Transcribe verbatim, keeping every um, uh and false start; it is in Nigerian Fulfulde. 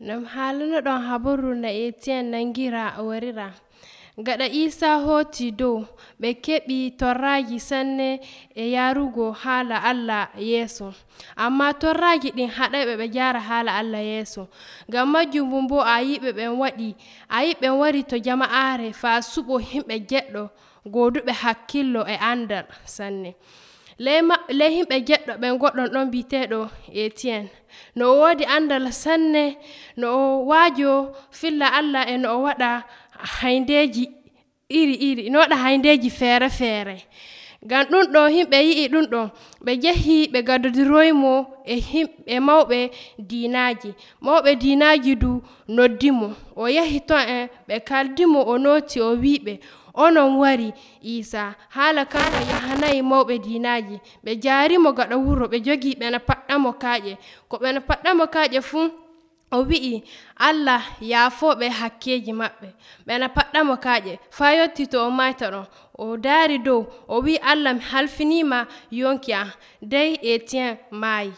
Nam halano ɗon habaru na Etienne nangira warira. Gaɗa Isa hoti dow ɓe keɓi torraji sanne e yarugo haala Allah yeso. Amma torraji ɗin haɗayɓe ɓe jara haala Allah yeso. Ngam majjum bumbo a yiɓe ɓen waɗi, a yiɓe wari to jama'are fa suɓo himɓe jeɗɗo goduɓe hakkillo e andal sanne. Ley himɓe jeɗɗo ɓen goɗɗon ɗon biteɗo Etienne. No o wodi andal sanne, no o wajo filla Allah e no o waɗa haindeji iri iri, no waɗa haindeji fere fere. Ngam ɗum ɗo himɓe yi'i ɗum ɗo, ɓe jehi ɓe gadodiroymo e himɓe mawɓe diinaji. Mawɓe diinaji du noddimo, o yahi ton en ɓe kaldimo o noti o wiɓe onon wari Isa, haala kanko yahanayi mawɓe diinaji. Ɓe jarimo gaɗa wuro ɓe jogi ɓena paɗɗamo kaaƴe. Ko ɓena paɗɗamo kaaƴe fuu o wi'i Allah yaafoɓe hakkeji maɓɓe. Ɓena paɗɗamo kaaƴe faa yotti to o mayta ɗon. O daari dow o wi Allah mi halfinima yonki am. Dey Etienne maayi.